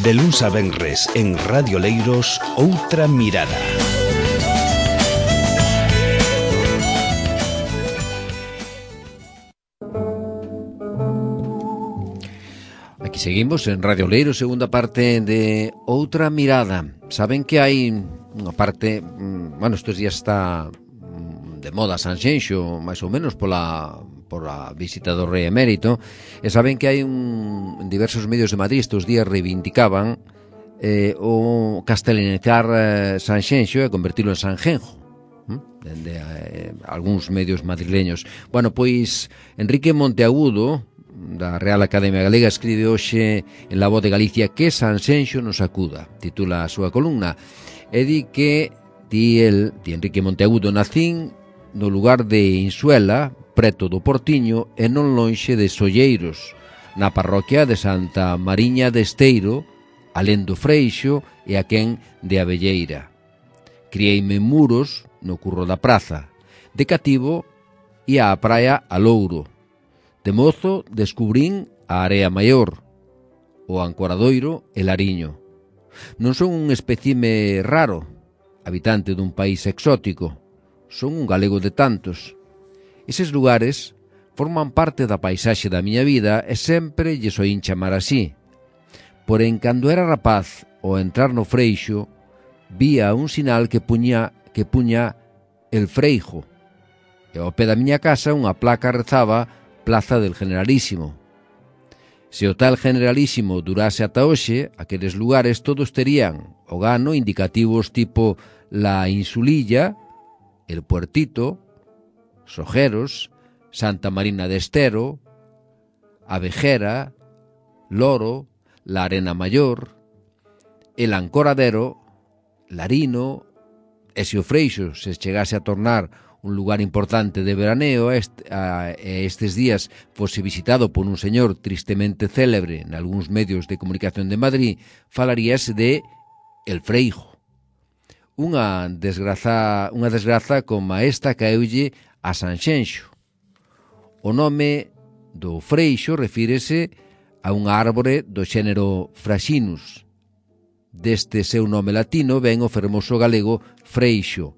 De luns a venres en Radio Leiros, Outra Mirada. Aquí seguimos en Radio Leiros, segunda parte de Outra Mirada. Saben que hai unha parte, estes días está de moda Sanxenxo, máis ou menos pola visita do rei emérito, e saben que hai en diversos medios de Madrid estes días reivindicaban o castelinizar Sanxenxo e convertirlo en Sanjenjo, dende algúns medios madrileños. Bueno, pois Enrique Monteagudo, da Real Academia Galega, escribe hoxe en La Voz de Galicia que Sanxenxo nos acuda, titula a súa columna, e di que Enrique Monteagudo, nacín no lugar de Insuela, preto do Portiño e non lonxe de Solleiros, na parroquia de Santa Mariña de Esteiro, alén do Freixo e aquén de Abelleira. Crieime en Muros, no curro da praza. De cativo ia á praia a Louro. De mozo descubrín a Area Maior, o Ancoradoiro e Lariño. Non son un espécime raro, habitante dun país exótico. Son un galego de tantos. Eses lugares forman parte da paisaxe da miña vida e sempre lles oín chamar así. Porén, cando era rapaz, ao entrar no Freixo, vía un sinal que puña El Freijo, e ao pé da miña casa unha placa rezaba Plaza del Generalísimo. Se o tal Generalísimo durase ata hoxe, aqueles lugares todos terían o gano indicativos tipo La Insulilla, El Puertito, Sojeros, Santa Marina de Estero, Abejera, Loro, La Arena Mayor, El Ancoradero, Larino, e se o Freixo se chegase a tornar un lugar importante de veraneo estes días fose visitado por un señor tristemente célebre en algúns medios de comunicación de Madrid, falaríase de El Freijo. Unha desgraza como esta caeulle a Sanxenxo. O nome do Freixo refírese a unha árbore do xénero Fraxinus. Deste seu nome latino ven o fermoso galego Freixo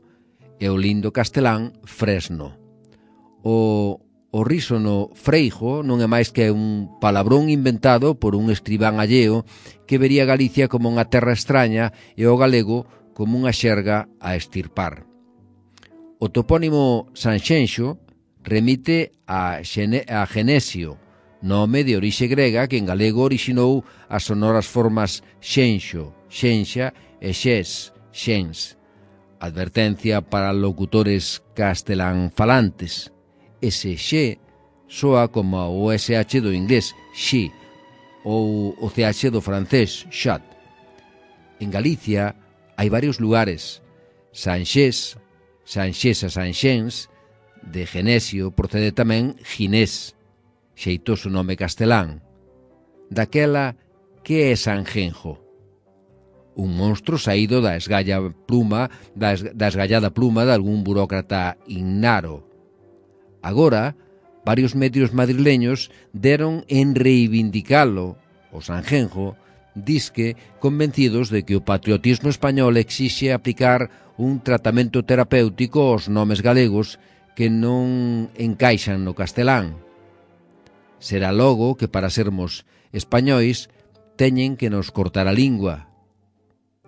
e o lindo castelán Fresno. O rísono Freijo non é máis que un palabrón inventado por un escribán alleo que vería Galicia como unha terra extraña e o galego como unha xerga a extirpar. O topónimo Sanxenxo remite a Genesio, nome de orixe grega que en galego orixinou as sonoras formas xenxo, xenxa e xes, xens. Advertencia para locutores castelán falantes. Ese xe soa como o SH do inglés, xi, ou o CH do francés, chat. En Galicia hai varios lugares. Sanxés, Sanxesa, Sanxens, de Genesio procede tamén Ginés, xeitoso nome castelán. Daquela, que é Sanjenjo? Un monstro saído da esgallada pluma de algún burócrata ignaro. Agora, varios medios madrileños deron en reivindicalo, o Sanjenjo, disque convencidos de que o patriotismo español exixe aplicar un tratamento terapéutico aos nomes galegos que non encaixan no castelán. Será logo que para sermos españois teñen que nos cortar a lingua,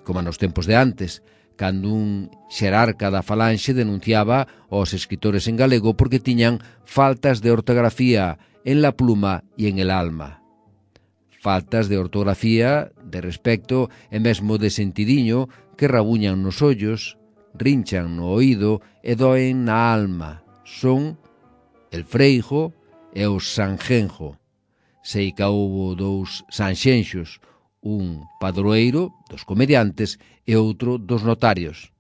como nos tempos de antes, cando un xerarca da falanxe denunciaba aos escritores en galego porque tiñan faltas de ortografía en la pluma e en el alma. Faltas de ortografía, de respecto e mesmo de sentidiño que rabuñan nos ollos, rinchan no oído e doen na alma. Son El Freijo e o Sanjenjo. Sei que houbo dous Sanxenxos, un padroeiro dos comediantes e outro dos notarios,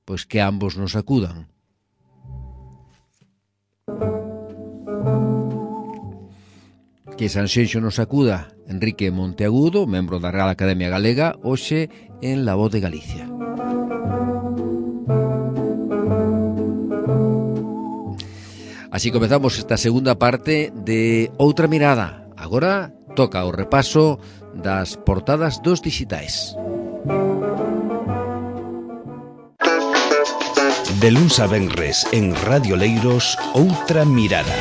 pois que ambos nos acudan. Que Sanxenxo nos acuda. Enrique Monteagudo, membro da Real Academia Galega, hoxe en La Voz de Galicia. Así comezamos esta segunda parte de Outra Mirada. Agora toca o repaso das portadas dos dixitais. De luns a venres en Radio Leiros, Outra Mirada.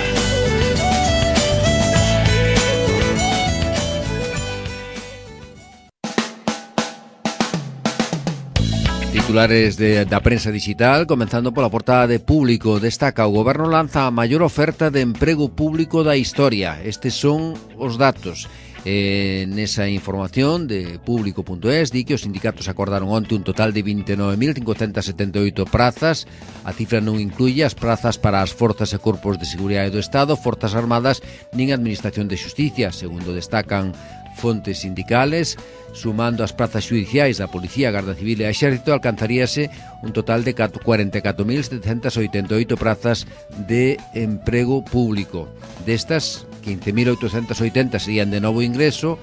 Titulares da prensa digital, comenzando pola portada de Público. Destaca: o Goberno lanza a maior oferta de emprego público da historia. Estes son os datos. Nesa información de Público.es di que os sindicatos acordaron onte un total de 29.578 prazas. A cifra non incluye as prazas para as forzas e corpos de seguridade do Estado, forzas armadas nin Administración de Xusticia, segundo destacan fontes sindicales. Sumando as prazas judiciais da Policía, Garda Civil e Exército, alcanzaríase un total de 44.788 prazas de emprego público. Destas, 15.880 serían de novo ingreso.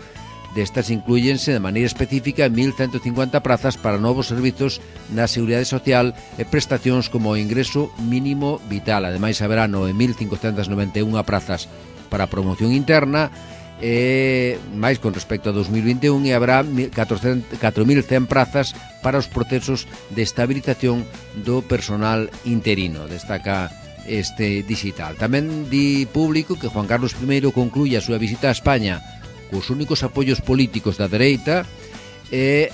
Destas inclúyense de maneira específica 1.150 prazas para novos servizos na Seguridade Social e prestacións como o ingreso mínimo vital. Ademais, haberá 9.591 prazas para promoción interna, máis con respecto a 2021, e habrá 4.100 prazas para os procesos de estabilización do personal interino, destaca este digital. Tamén di Público que Juan Carlos I concluye a súa visita a España cos únicos apoios políticos da dereita, e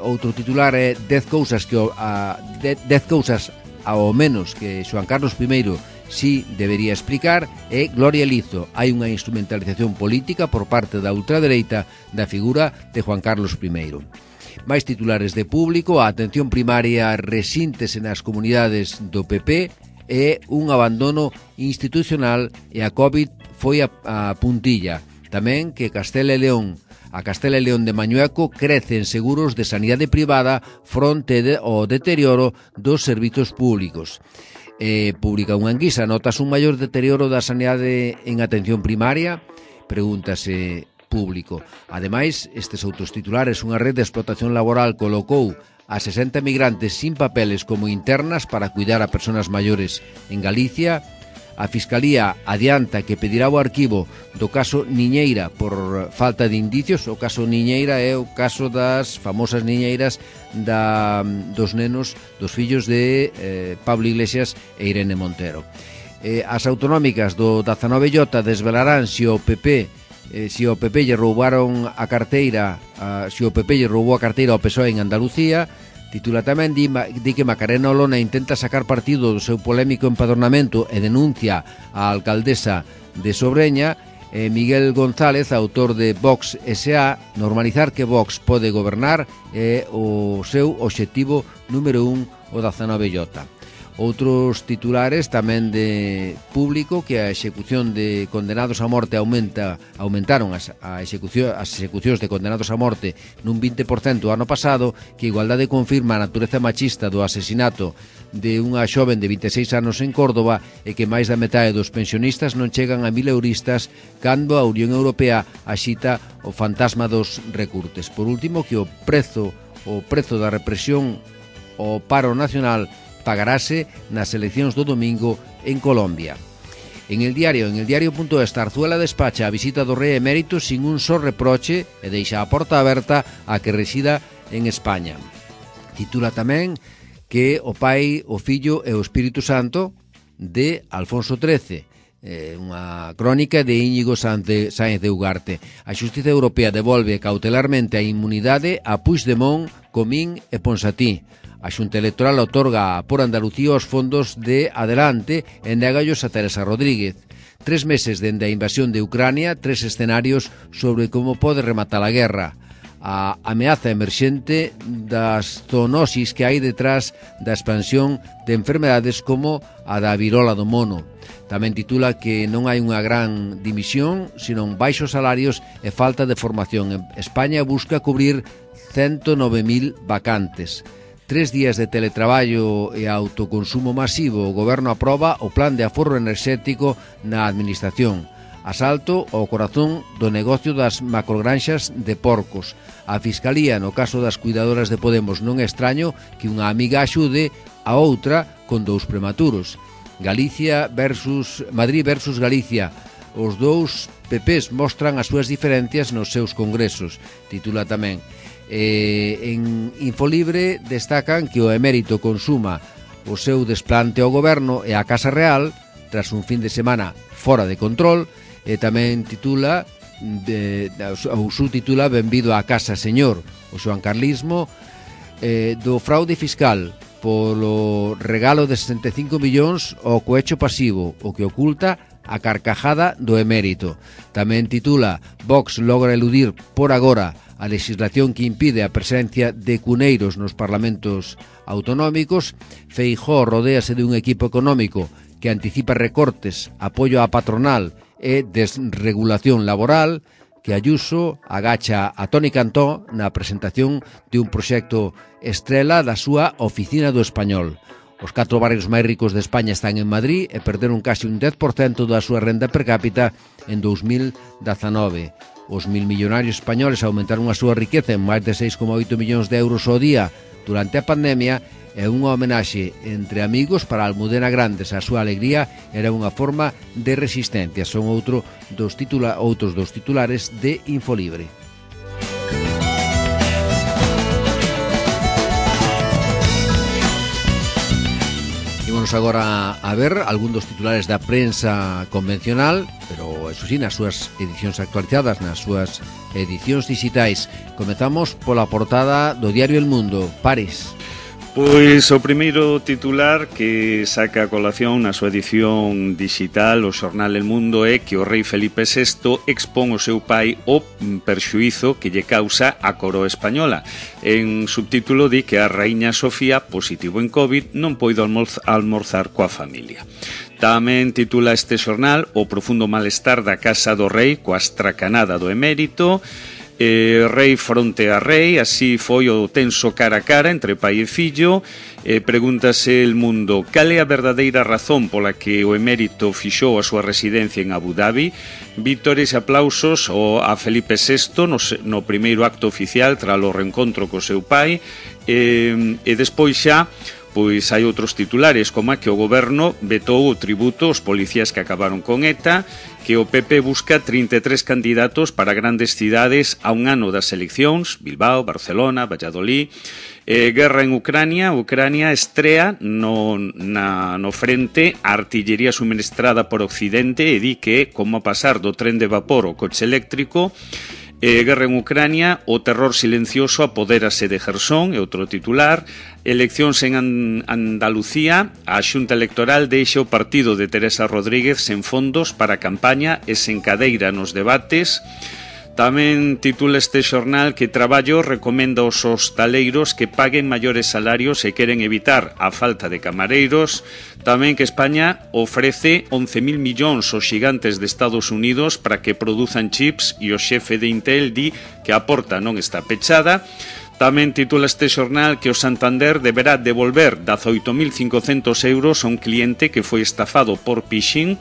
outro titular é 10 cousas ao menos que Juan Carlos I si debería explicar. E Gloria Lizo: hai unha instrumentalización política por parte da ultradereita da figura de Juan Carlos I. Máis titulares de Público: a atención primaria resíntese nas comunidades do PP e un abandono institucional, e a COVID foi a puntilla. Tamén que Castela e León de Mañueco crece en seguros de sanidade privada fronte ao deterioro dos servizos públicos. Publica unha enquisa: notas un maior deterioro da sanidade en atención primaria? Pregúntase Público. Ademais, estes outros titulares: unha rede de explotación laboral colocou a 60 migrantes sin papeles como internas para cuidar a persoas maiores en Galicia. A Fiscalía adianta que pedirá o arquivo do caso Niñeira por falta de indicios. O caso Niñeira é o caso das famosas niñeiras dos nenos, dos fillos de Pablo Iglesias e Irene Montero. As autonómicas do 19J desvelarán se o PP lle roubaron a carteira, se o PP lle roubou a carteira ao PSOE en Andalucía. Titula tamén, di que Macarena Olona intenta sacar partido do seu polémico empadronamento e denuncia a alcaldesa de Sobreña. Miguel González, autor de Vox S.A., normalizar que Vox pode gobernar é o seu obxectivo número 1 o 19J. Outros titulares tamén de Público: que a execución de condenados a morte aumentaron as execucións de condenados a morte nun 20% o ano pasado, que Igualdade confirma a natureza machista do asesinato de unha xoven de 26 anos en Córdoba, e que máis da metade dos pensionistas non chegan a 1.000 euristas, cando a Unión Europea axita o fantasma dos recurtes. Por último, que o prezo da represión ao paro nacional pagarase nas eleccións do domingo en Colombia. En el diario.es, Zarzuela despacha a visita do rei emérito sin un só reproche e deixa a porta aberta a que resida en España. Titula tamén que o Pai, o Fillo e o Espírito Santo de Alfonso XIII. Unha crónica de Íñigo Sáenz de Ugarte. A Xustiza Europea devolve cautelarmente a inmunidade a Puigdemont, Comín e Ponsatí. A Xunta Electoral otorga por Andalucía os fondos de Adelante e négallos a Teresa Rodríguez. 3 meses dende a invasión de Ucrania, 3 escenarios sobre como pode rematar a guerra. A ameaza emerxente das zoonosis que hai detrás da expansión de enfermedades como a da virola do mono. Tamén titula que non hai unha gran dimisión, senón baixos salarios e falta de formación. España busca cubrir 109.000 vacantes. 3 días de teletraballo e autoconsumo masivo. O Goberno aproba o plan de aforro enerxético na Administración. Asalto ao corazón do negocio das macrogranxas de porcos. A Fiscalía, no caso das cuidadoras de Podemos, non é extraño que unha amiga axude a outra con 2 prematuros. Madrid versus Galicia. os dous PPs mostran as súas diferencias nos seus congresos, titula tamén. En Infolibre destacan que o emérito consuma o seu desplante ao goberno e á Casa Real tras un fin de semana fora de control, e tamén titula ou subtitula Benvido á Casa Señor, o xoancarlismo do fraude fiscal polo regalo de 65 millóns ao cohecho pasivo, o que oculta a carcajada do emérito. Tamén titula Vox logra eludir por agora a legislación que impide a presencia de cuneiros nos parlamentos autonómicos. Feijóo rodéase de un equipo económico que anticipa recortes, apoio á patronal e desregulación laboral, que Ayuso agacha a Toni Cantó na presentación de un proxecto estrela da súa Oficina do Español. Os 4 barrios máis ricos de España están en Madrid e perderon casi un 10% da súa renda per cápita en 2019. Os 1.000 millonarios españoles aumentaron a súa riqueza en máis de 6,8 millóns de euros ao día durante a pandemia, e unha homenaxe entre amigos para Almudena Grandes. A súa alegría era unha forma de resistencia. Son outros dos titulares de Infolibre. Ímonos agora a ver algún dos titulares da prensa convencional, pero eso sí, nas súas edicións actualizadas, nas súas edicións digitais. Comezamos pola portada do diario El Mundo. Paris. Pois o primeiro titular que saca a colación na súa edición digital o xornal El Mundo é que o rei Felipe VI expón o seu pai o perxuízo que lle causa a coroa española. En subtítulo di que a raíña Sofía, positivo en COVID, non poido almorzar coa familia. Tamén titula este xornal o profundo malestar da casa do rei coa estracanada do emérito. Rei fronte a rei, así foi o tenso cara a cara entre pai e fillo. Pregúntase El Mundo cal é a verdadeira razón pola que o emérito fixou a súa residencia en Abu Dhabi. Vítores e aplausos a Felipe VI no primeiro acto oficial tras o reencontro co seu pai, e despois xa pois hai outros titulares, como que o goberno vetou o tributo aos policías que acabaron con ETA, que o PP busca 33 candidatos para grandes cidades a un ano das eleccións, Bilbao, Barcelona, Valladolid. Guerra en Ucrania estrea no frente a artillería suministrada por Occidente, e di que como pasar do tren de vapor ao coche eléctrico. Guerra en Ucrania, o terror silencioso apodérase de Jersón, é outro titular. Eleccións en Andalucía, a Xunta Electoral deixa o partido de Teresa Rodríguez sen fondos para a campaña e sen cadeira nos debates. Tamén titula este xornal que Traballo recomenda aos hostaleiros que paguen maiores salarios e queren evitar a falta de camareiros. Tamén que España ofrece 11.000 millóns aos xigantes de Estados Unidos para que produzan chips, e o xefe de Intel di que a porta non está pechada. Tamén titula este xornal que o Santander deberá devolver 18.500 euros a un cliente que foi estafado por phishing,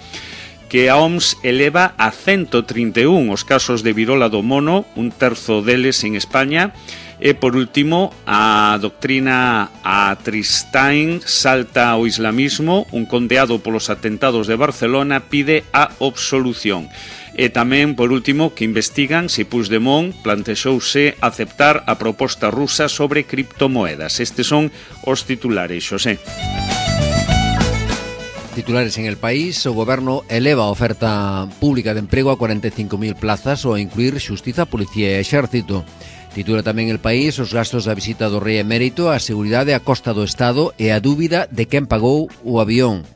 que a OMS eleva a 131 os casos de virola do mono, un terzo deles en España. E, por último, a doctrina a Tristain salta ao islamismo. Un condeado polos atentados de Barcelona pide a absolución. E tamén, por último, que investigan se Puigdemont plantexouse aceptar a proposta rusa sobre criptomoedas. Estes son os titulares, Xosé. Titulares en El País. O goberno eleva a oferta pública de emprego a 45.000 plazas ao incluir xustiza, policía e exército. Titula tamén El País os gastos da visita do rei emérito, a seguridade a costa do Estado e a dúbida de quen pagou o avión.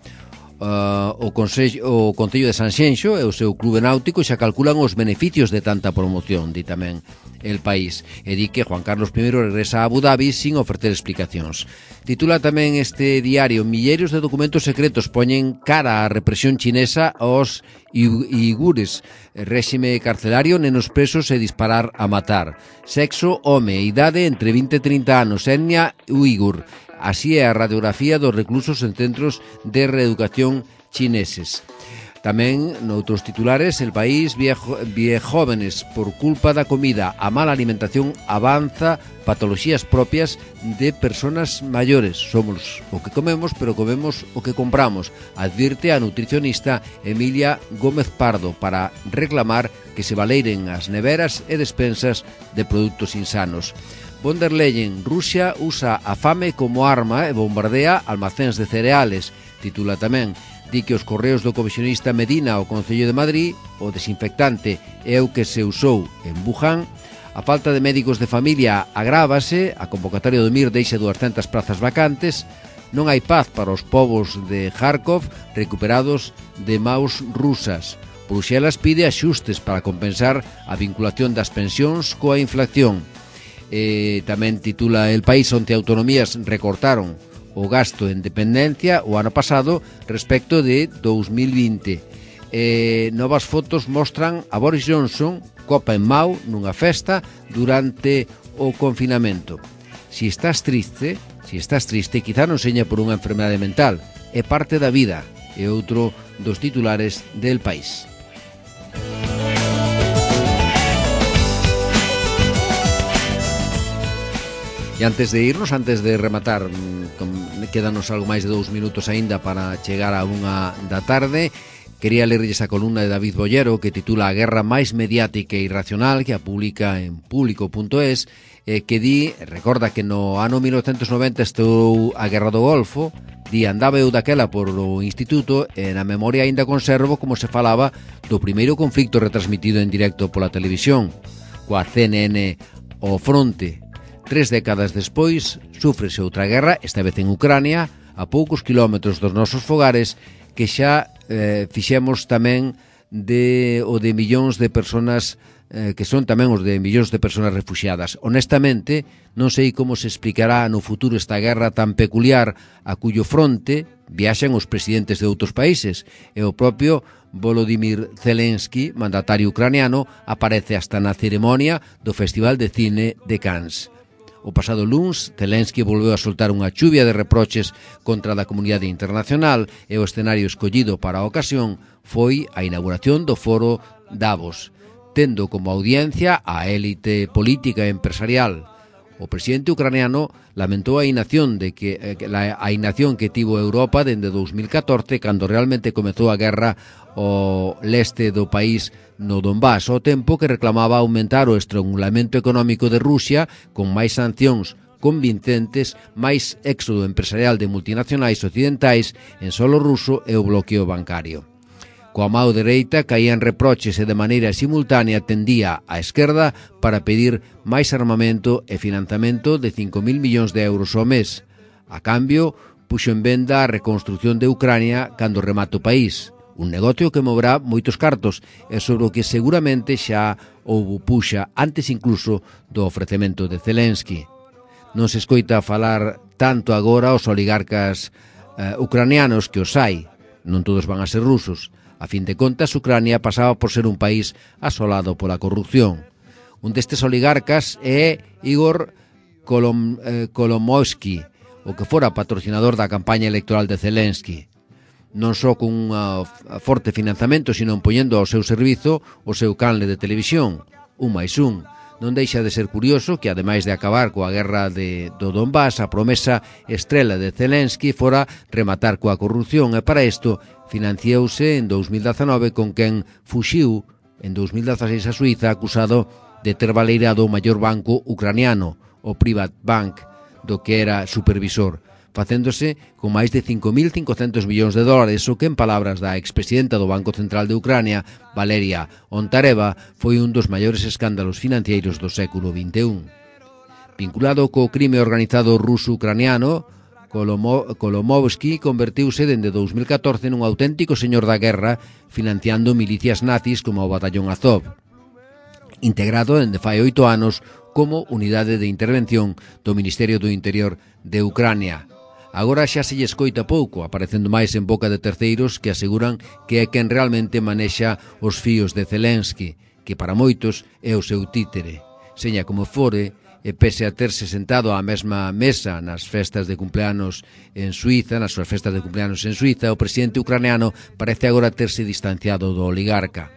O Concello de Sanxenxo e o seu clube náutico xa calculan os beneficios de tanta promoción, di tamén El País, e di que Juan Carlos I regresa a Abu Dhabi sin ofrecer explicacións. Titula tamén este diario: milleiros de documentos secretos poñen cara á represión chinesa aos uigures, réxime carcelario, nenos presos e disparar a matar. Sexo, home, idade entre 20 e 30 anos, etnia uigur. Así é a radiografía dos reclusos en centros de reeducación chineses. Tamén, noutros titulares, El País, jóvenes por culpa da comida, a mala alimentación avanza patoloxías propias de personas maiores. Somos o que comemos, pero comemos o que compramos, advirte a nutricionista Emilia Gómez Pardo, para reclamar que se valeiren as neveras e despensas de produtos insanos. Von der Leyen, Rusia usa a fame como arma e bombardea almacéns de cereales, titula tamén. Di que os correos do comisionista Medina ao Concello de Madrid, o desinfectante é o que se usou en Wuhan. A falta de médicos de familia agrávase, a convocatoria do MIR deixa 200 plazas vacantes, non hai paz para os povos de Kharkov recuperados de maus rusas. Bruxelas pide axustes para compensar a vinculación das pensións coa inflación. Tamén titula El País, onde autonomías recortaron o gasto en dependencia o ano pasado respecto de 2020. Novas fotos mostran a Boris Johnson copa en mau nunha festa durante o confinamento. Si estás triste, quizá non seña por unha enfermedade mental, é parte da vida, é outro dos titulares del País. E antes de irnos, antes de rematar, quédanos algo máis de 2 minutos aínda para chegar a 1 da tarde. Quería lerlles a columna de David Bollero, que titula A guerra máis mediática e irracional, que a publica en público.es, que recorda que no ano 1990 estou a Guerra do Golfo, andaba eu daquela por o instituto, e na memoria aínda conservo como se falaba do primeiro conflicto retransmitido en directo pola televisión, coa CNN ao fronte. 3 décadas despois, súfrese outra guerra, esta vez en Ucrania, a poucos kilómetros dos nosos fogares, que xa fixemos tamén de millóns de persoas, que son tamén os de millóns de persoas refuxiadas. Honestamente, non sei como se explicará no futuro esta guerra tan peculiar a cuyo fronte viaxan os presidentes de outros países, e o propio Volodymyr Zelensky, mandatario ucraniano, aparece hasta na ceremonia do Festival de Cine de Cannes. O pasado luns, Zelensky volveu a soltar unha chuvia de reproches contra a comunidade internacional, e o escenario escollido para a ocasión foi a inauguración do foro Davos, tendo como audiencia a élite política e empresarial. O presidente ucraniano lamentou a inacción que tivo Europa dende 2014, cando realmente comezou a guerra ao leste do país no Donbass, ao tempo que reclamaba aumentar o estrangulamento económico de Rusia con máis sancións convincentes, máis éxodo empresarial de multinacionais occidentais en solo ruso e o bloqueo bancario. Coa mao dereita caían reproches e de maneira simultánea tendía á esquerda para pedir máis armamento e financiamento de 5.000 millóns de euros ao mes. A cambio, puxo en venda a reconstrucción de Ucrania cando remate o país. Un negocio que moverá moitos cartos e sobre o que seguramente xa houbo puxa antes incluso do ofrecemento de Zelensky. Non se escoita falar tanto agora os oligarcas ucranianos, que os hai, non todos van a ser rusos. A fin de contas, Ucrania pasaba por ser un país asolado pola corrupción. Un destes oligarcas é Igor Kolomoisky, o que fora patrocinador da campaña electoral de Zelensky. Non só con un forte financiamento, sino poñendo ao seu servizo o seu canle de televisión, 1+1. Non deixa de ser curioso que, ademais de acabar coa guerra do Donbass, a promesa estrela de Zelensky fora rematar coa corrupción, e para isto financiouse en 2019 con quen fuxiu en 2016 a Suiza, acusado de ter baleirado o maior banco ucraniano, o Privat Bank, do que era supervisor, facéndose con máis de 5.500 millóns de dólares, o que, en palabras da expresidenta do Banco Central de Ucrania, Valeria Ontareva, foi un dos maiores escándalos financeiros do século XXI. Vinculado co crime organizado ruso-ucraniano, Kolomoisky convertiuse dende 2014 nun auténtico señor da guerra, financiando milicias nazis como o Batallón Azov, integrado dende fai 8 anos como unidade de intervención do Ministerio do Interior de Ucrania. Agora xa se lle escoita pouco, aparecendo máis en boca de terceiros que aseguran que é quen realmente manexa os fíos de Zelensky, que para moitos é o seu títere. Seña como fore, e pese a terse sentado á mesma mesa nas festas de cumpleanos en Suiza, nas súas festas de cumpleanos en Suiza, o presidente ucraniano parece agora terse distanciado do oligarca.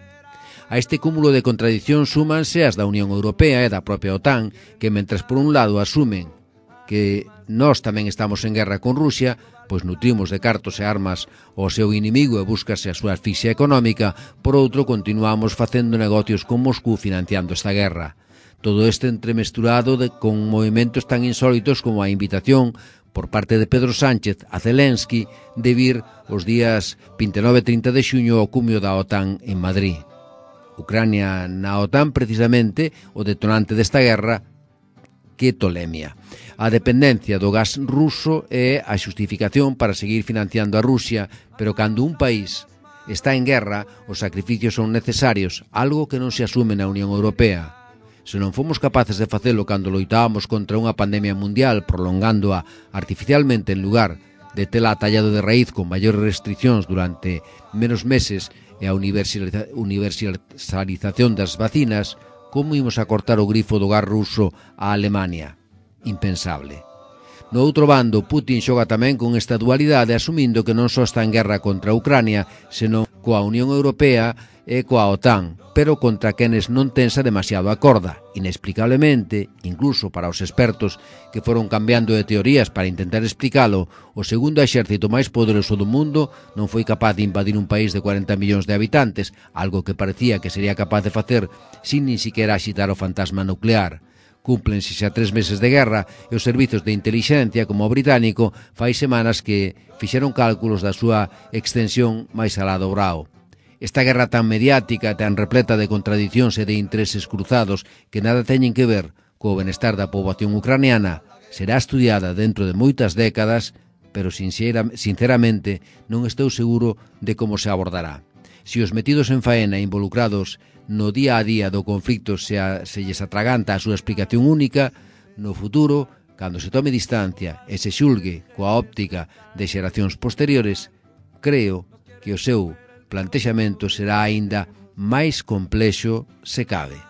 A este cúmulo de contradicións súmanse as da Unión Europea e da propia OTAN, que mentras por un lado asumen que nós tamén estamos en guerra con Rusia, pois nutrimos de cartos e armas ao seu inimigo e búscase a súa asfixia económica, por outro continuamos facendo negocios con Moscú financiando esta guerra. Todo este entremesturado con movimentos tan insólitos como a invitación por parte de Pedro Sánchez a Zelensky de vir os días 29 e 30 de xuño ao cumio da OTAN en Madrid. Ucrania na OTAN, precisamente, o detonante desta guerra, que tolemia. A dependencia do gas ruso é a xustificación para seguir financiando a Rusia, pero cando un país está en guerra, os sacrificios son necesarios, algo que non se asume na Unión Europea. Se non fomos capaces de facelo cando loitábamos contra unha pandemia mundial, prolongándoa artificialmente en lugar de tela tallado de raíz con maiores restriccións durante menos meses e a universalización das vacinas, como imos a cortar o grifo do gas ruso a Alemania? Impensable. No outro bando, Putin xoga tamén con esta dualidade, asumindo que non só está en guerra contra Ucrania, senón coa Unión Europea e coa OTAN, pero contra quenes non tensa demasiado a corda. Inexplicablemente, incluso para os expertos que foron cambiando de teorías para intentar explicalo, o segundo exército máis poderoso do mundo non foi capaz de invadir un país de 40 millóns de habitantes, algo que parecía que sería capaz de facer sin nin siquiera axitar o fantasma nuclear. Cúmplense xa 3 meses de guerra e os servizos de inteligencia, como o británico, fai semanas que fixeron cálculos da súa extensión máis alá do brao. Esta guerra tan mediática, tan repleta de contradicións e de intereses cruzados que nada teñen que ver co benestar da poboación ucraniana, será estudiada dentro de moitas décadas, pero sinceramente non estou seguro de como se abordará. Se os metidos en faena involucrados no día a día do conflicto se lles atraganta a súa explicación única, no futuro, cando se tome distancia e se xulgue coa óptica de xeracións posteriores, creo que o seu plantexamento será aínda máis complexo se cabe.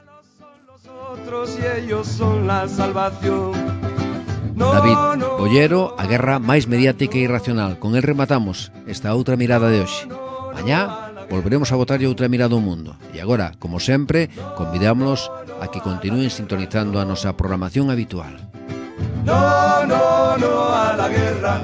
David Bollero, a guerra máis mediática e irracional. Con el rematamos esta outra mirada de hoxe. Mañá volveremos a botarlle outra mirada ao mundo. E agora, como sempre, convidámonos a que continúen sintonizando a nosa programación habitual. No, no, no a la guerra.